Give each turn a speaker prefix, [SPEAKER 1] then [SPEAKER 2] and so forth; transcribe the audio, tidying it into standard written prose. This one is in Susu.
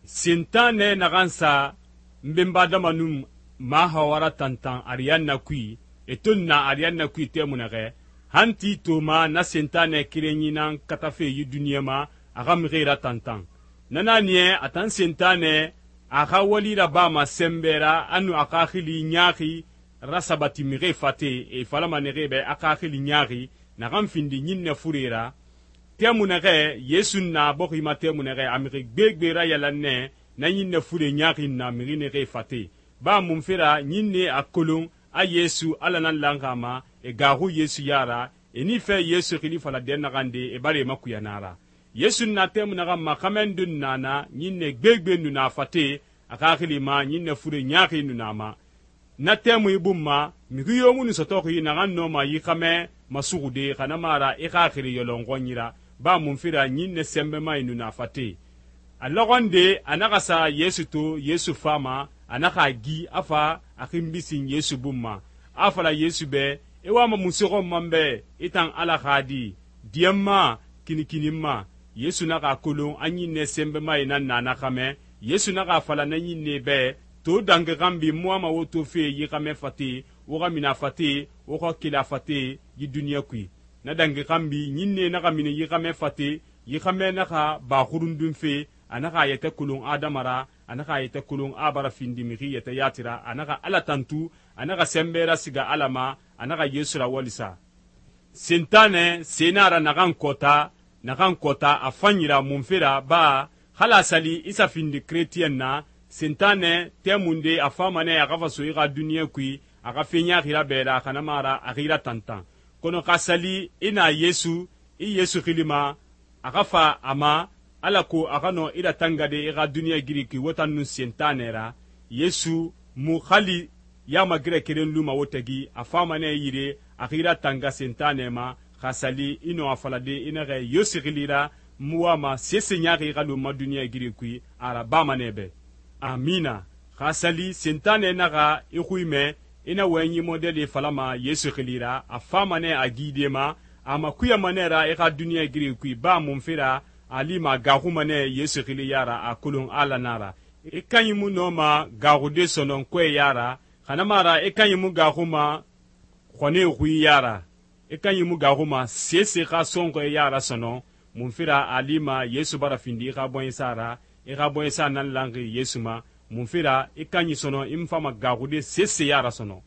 [SPEAKER 1] Sentanɛ naxan sa nbenbadama nun ma hawara tantan ariyanna kui, e to na ariyanna kui tɛmu naxɛ, han ti toma na sentanɛ kerenyi nan katafe yi duniɲa ma a xa mixi ra tantan. Na naniɛ a tan sentanɛ a xa wali rabama sɛnbɛ ra a nu a xaxili ɲaaxi rasabati mixi fate e falama nexi bɛ a xaxili ɲaaxi naxan findi ɲinnɛ fure ra. Tɛmu naxɛ Yesu na bɔxi ma tɛmu naxɛ a mixi gbegbe ra yalanɛ na ɲinnɛ fure ɲaaxi na mixi nexi fate. Ba mun fera ɲinne a kolon a Yesu ala nan lanxa ma e gaaxu Yesu yara e ni fɛ Yesu xili fala den naxan de e bara e makuyana ra. Yesu na tɛmu naxan ma xamɛn dun nana ɲinnɛ gbegbe nu na fate a xaxili ma ɲinnɛ fure ɲaaxi nu na ma. Na tɛmu i bun ma mixi yo mu nu sɔtɔxi naxan nɔma yi xamɛ masuxude xana mara i xaxiri yɔlɔnxɔnyi ra. Ba mun fera ɲinnɛ sɛnbɛmayi nu na fate. A lɔxɔnde a naxa sa Yesu to Yesu fama a naxa a gi a fa a xinbisin Yesu bun ma. A fala Yesu bɛ e wama munse xɔn man bɛ i tan Ala xa di diɲɛ ma kinikinin ma. Yesu naxa a kolon a ɲinnɛ sɛnbɛmayi nan na xamɛ. Yesu naxa a fala na ɲinnɛ bɛ to dangi xanbi mu wama wo to fe yi xamɛ fate wo xa mina fate wo xa kela fate yi duniɲa kui. Na dangi xanbi ɲinnɛ naxa mini yi xamɛ fate yi xamɛ naxa ba xurundun fe a naxa a yɛtɛ kolon adama ra a naxa a yɛtɛ kolon a bara findi mixi yɛtɛ yatira a naxa Ala tantu a naxa sɛnbɛ rasiga Ala ma a naxa Yesu rawalisa. Sentanɛ senara naxan kɔta a fanyira mun fera ba hala sali isa findi chrétien na sentanɛ tɛmunde a famanɛ a xa faso i xa duniɲa kui a xa feɲaxira bɛra xana mara a xira tantan kono xa sali i na Yesu xilima a xa fa a ma alako a xa nɔ i ratangade i xa duniɲa giri kui wo tan nun sentanɛ ra. Yesu mu xali yamagirɛ keren luma wo tagi a famanɛ yire a xira tanga sentanɛ ma xa sali i nɔ a falade i naxɛ yo sixilira mu wama sese ɲaxi i xa lu ma duniɲa giri kui a ra bamanɛ bɛ. Amina. Xa sali sentanɛ naxa i xui mɛ i na wɔyɛnyi modɛli falama Yesu xilira a famanɛ a gide ma a ma kuyamanɛ ra i xa duniɲa giri kui ba mun fera a lima gaaxumanɛ Yesu xili yara a kolon Ala nara. I kanyi mu nɔma gaaxude sɔnɔn kɔɛ yara xana mara i kanyi mu gaaxuma xɔne xui yara i kanyi mu gaaxuma sese xa sɔnxɔɛ yara sɔnɔn mun fera a lima Yesu bara findi i xa bɔɲɛsa ra i xa bɔɲɛsa nan lanxi Yesu ma mun fera i kanyi sɔnɔn i mu fama gaaxude sese yara sɔnɔn.